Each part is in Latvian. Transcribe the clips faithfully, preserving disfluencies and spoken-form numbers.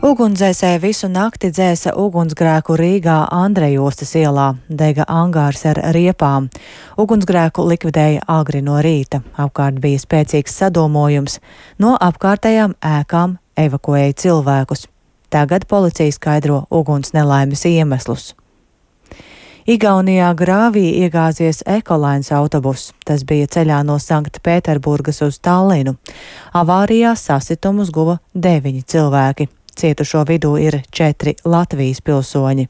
Ugunsdzēsēji visu nakti dzēsa ugunsgrēku Rīgā Andrejostas ielā, dega angārs ar riepām. Ugunsgrēku likvidēja agri no rīta. Apkārt bija spēcīgs sadūmojums. No apkārtējām ēkām evakuēja cilvēkus. Tagad policija skaidro uguns nelaimes iemeslus. Igaunijā grāvī iegāzies ekolains autobuss. Tas bija ceļā no Sanktpēterburgas uz Tallinu. Avārijā sasitumus guva deviņi cilvēki. Cietušo vidū ir četri Latvijas pilsoņi.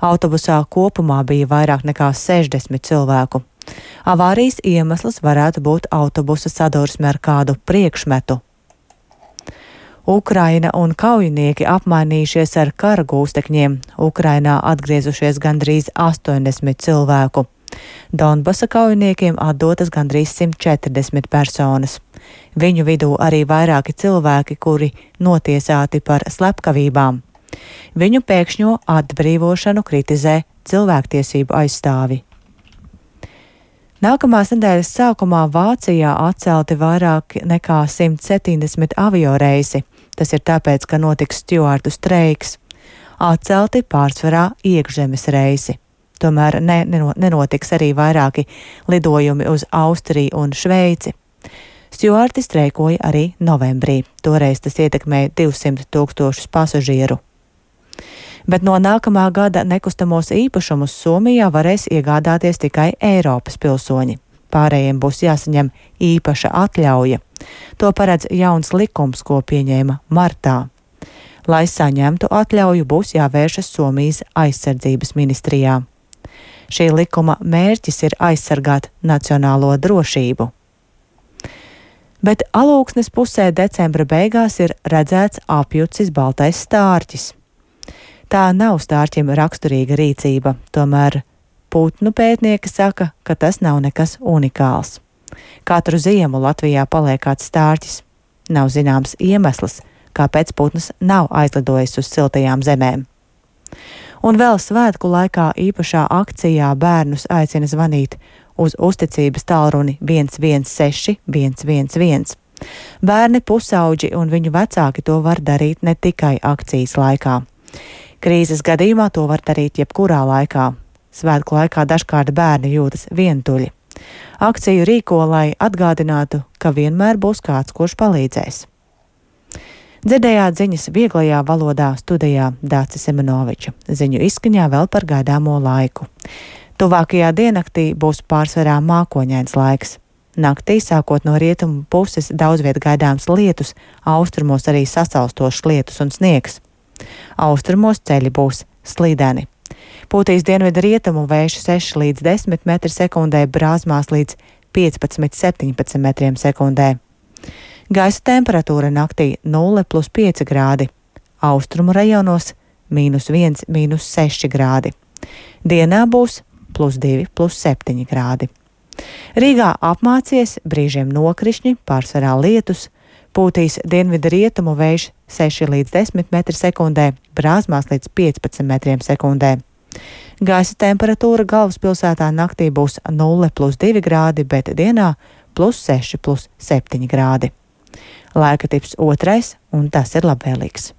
Autobusā kopumā bija vairāk nekā sešdesmit cilvēku. Avārijas iemesls varētu būt autobusa sadursme ar kādu priekšmetu. Ukraina un kaujinieki apmainījušies ar kara gūstekņiem. Ukrainā atgriezušies gandrīz astoņdesmit cilvēku. Donbasa kaujiniekiem atdotas gandrīz simt četrdesmit personas. Viņu vidū arī vairāki cilvēki, kuri notiesāti par slepkavībām. Viņu pēkšņo atbrīvošanu kritizē cilvēktiesību aizstāvi. Nākamās nedēļas sākumā Vācijā atcelti vairāk nekā simt septiņdesmit avioreisi. Tas ir tāpēc, ka notiks stjuārtu streiks. Atcelti pārsvarā iekšzemes reisi. Tomēr ne, nenotiks arī vairāki lidojumi uz Austriju un Šveici. Stjuārti streikoja arī novembrī. Toreiz tas ietekmēja divsimt tūkstošus pasažieru. Bet no nākamā gada nekustamos īpašumus Somijā varēs iegādāties tikai Eiropas pilsoņi. Pārējiem būs jāsaņem īpaša atļauja. To paredz jauns likums, ko pieņēma martā. Lai saņemtu atļauju, būs jāvēršas Somijas aizsardzības ministrijā. Šī likuma mērķis ir aizsargāt nacionālo drošību. Bet Alūksnes pusē decembra beigās ir redzēts apjucis baltais stārķis. Tā nav stārķim raksturīga rīcība, tomēr putnu pētnieki saka, ka tas nav nekas unikāls. Katru ziemu Latvijā paliek kāds stārķis. Nav zināms iemesls, kāpēc putns nav aizlidojis uz siltajām zemēm. Un vēl svētku laikā īpašā akcijā bērnus aicina zvanīt uz uzticības tālruni viens viens seši viens viens viens. Bērni, pusauģi un viņu vecāki to var darīt ne tikai akcijas laikā. Krīzes gadījumā to var darīt jebkurā laikā. Svētku laikā dažkārt bērni jūtas vientuļi. Akciju rīko, lai atgādinātu, ka vienmēr būs kāds, kurš palīdzēs. Dzirdējāt ziņas vieglajā valodā studijā Dācis Semenoviča. Ziņu izskaņā vēl par gaidāmo laiku. Tuvākajā diennaktī būs pārsvarā mākoņains laiks. Naktī, sākot no rietumu puses, daudz viet gaidāms lietus, austrumos arī sasalstošs lietus un sniegs. Austrumos ceļi būs slīdeni. Pūtīs dienvidu rietumu vējš seši līdz desmit metri sekundē, brāzmās līdz piecpadsmit septiņpadsmit metriem sekundē. Gaisa temperatūra naktī nulle plus pieci grādi, austrumu rajonos mīnus viens, mīnus seši grādi. Dienā būs plus divi, plus septiņi grādi. Rīgā apmācies, brīžiem nokrišņi, pārsvarā lietus, pūtīs dienvidu rietumu vējš seši līdz desmit metri sekundē, brāzmās līdz piecpadsmit metriem sekundē. Gaisa temperatūra galvaspilsētā naktī būs nulle plus divi grādi, bet dienā plus seši, plus septiņi grādi. Laika tips otrais, un tas ir labvēlīgs.